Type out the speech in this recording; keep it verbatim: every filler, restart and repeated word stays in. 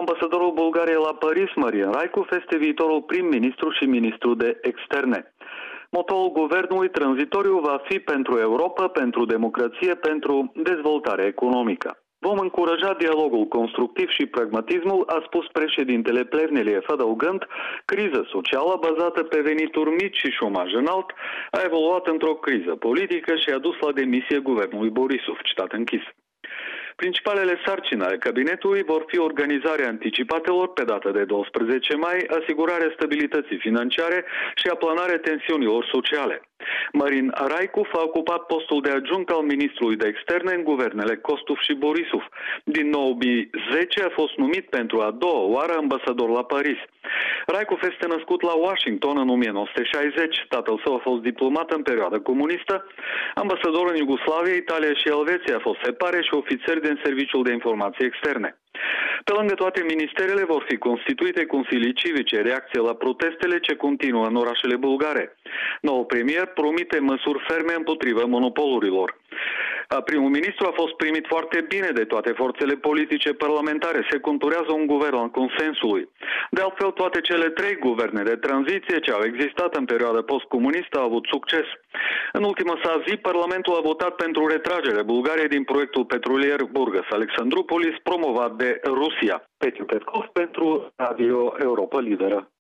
Ambasadorul Bulgariei la Paris, Marian Raikov, este viitorul prim-ministru și ministru de externe. Motoul guvernului tranzitoriu va fi pentru Europa, pentru democrație, pentru dezvoltare economică. Vom încuraja dialogul constructiv și pragmatismul, a spus președintele Plevneliev, adăugând, criza socială bazată pe venituri mici și șomaj înalt a evoluat într-o criză politică și a dus la demisie guvernului Borisov, citat închis. Principalele sarcini ale cabinetului vor fi organizarea anticipatelor pe data de doisprezece mai, asigurarea stabilității financiare și aplanarea tensiunilor sociale. Marin Raikov a ocupat postul de adjunct al ministrului de externe în guvernele Kostov și Borisov. Din două mii zece a fost numit pentru a doua oară ambasador la Paris. Raikov este născut la Washington în o mie nouă sute șaizeci. Tatăl său a fost diplomat în perioada comunistă, ambasador în Iugoslavia, Italia și Elveția, a fost separe și ofițer din Serviciul de Informații Externe. Pe lângă toate ministerele vor fi constituite consilii civice, reacție la protestele ce continuă în orașele bulgare. Noul premier promite măsuri ferme împotriva monopolurilor. Primul ministru a fost primit foarte bine de toate forțele politice parlamentare. Se conturează un guvern al consensului. De altfel, toate cele trei guverne de tranziție ce au existat în perioada postcomunistă au avut succes. În ultima sa zi, Parlamentul a votat pentru retragerea Bulgariei din proiectul petrolier Burgas-Alexandroupolis promovat de Rusia. Petru Petkov pentru Radio Europa Liberă.